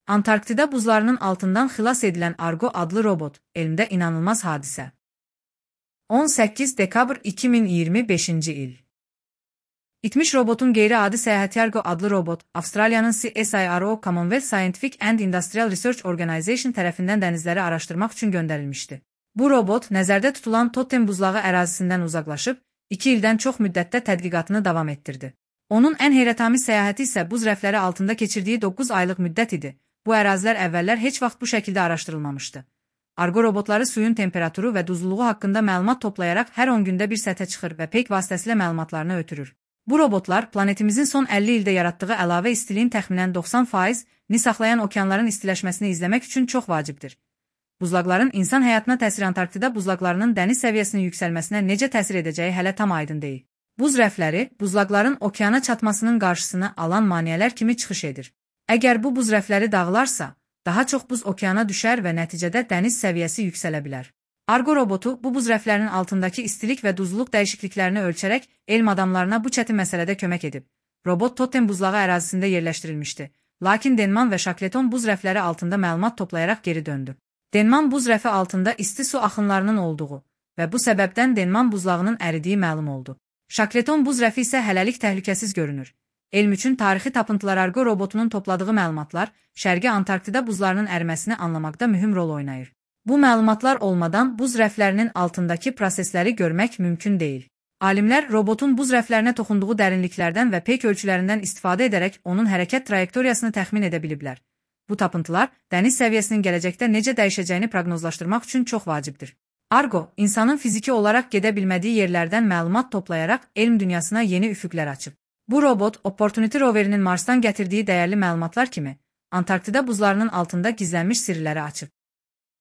Antarktida buzlarının altından xilas edilən Argo adlı robot, elmdə inanılmaz hadisə. 18 dekabr 2025-ci il. İtmiş robotun qeyri-adi səyahəti Argo adlı robot, Avstraliyanın CSIRO Commonwealth Scientific and Industrial Research Organization tərəfindən dənizləri araşdırmaq üçün göndərilmişdi. Bu robot, nəzərdə tutulan Totem buzlağı ərazisindən uzaqlaşıb, 2 ildən çox müddətdə tədqiqatını davam etdirdi. Onun ən heyrətamiz səyahəti isə buz rəfləri altında keçirdiyi 9 aylıq müddət idi. Bu ərazilər əvvəllər heç vaxt bu şəkildə araşdırılmamışdı. Argo robotları suyun temperaturu və duzluluğu haqqında məlumat toplayaraq hər 10 gündə bir səthə çıxır və peyk vasitəsilə məlumatlarını ötürür. Bu robotlar planetimizin son 50 ildə yaratdığı əlavə istiliyin təxminən 90%-ni saxlayan okeanların istiləşməsini izləmək üçün çox vacibdir. Buzlaqların insan həyatına təsiri Antarktida buzlaqlarının dəniz səviyyəsinin yüksəlməsinə necə təsir edəcəyi hələ tam aydın deyil. Buz rəfləri, buzlaqların okeana çatmasının qarşısını alan maneələr kimi çıxış edir. Əgər bu buz rəfləri dağılarsa, daha çox buz okeana düşər və nəticədə dəniz səviyyəsi yüksələ bilər. Argo robotu bu buz rəflərinin altındakı istilik və duzluluq dəyişikliklərini ölçərək elm adamlarına bu çətin məsələdə kömək edib. Robot Totem buzlağı ərazisində yerləşdirilmişdi, lakin Denman və Shackleton buz rəfləri altında məlumat toplayaraq geri döndü. Denman buz rəfi altında isti su axınlarının olduğu və bu səbəbdən Denman buzlağının əridiyi məlum oldu. Shackleton buz rəfi isə hələlik təhlükəsiz görünür. Elm üçün tarixi tapıntılar Argo robotunun topladığı məlumatlar Şərqi Antarktida buzlarının əriməsinə anlamaqda mühüm rol oynayır. Bu məlumatlar olmadan buz rəflərinin altındakı prosesləri görmək mümkün deyil. Alimlər robotun buz rəflərinə toxunduğu dərinliklərdən və peyk ölçülərindən istifadə edərək onun hərəkət trayektoriyasını təxmin edə biliblər. Bu tapıntılar dəniz səviyyəsinin gələcəkdə necə dəyişəcəyini proqnozlaşdırmaq üçün çox vacibdir. Argo, insanın fiziki olaraq gedə bilmədiyi yerlərdən məlumat toplayaraq elm dünyasına yeni üfüqlər açıb. Bu robot, Opportunity roverinin Marsdan gətirdiyi dəyərli məlumatlar kimi, Antarktida buzlarının altında gizlənmiş sirləri açıb.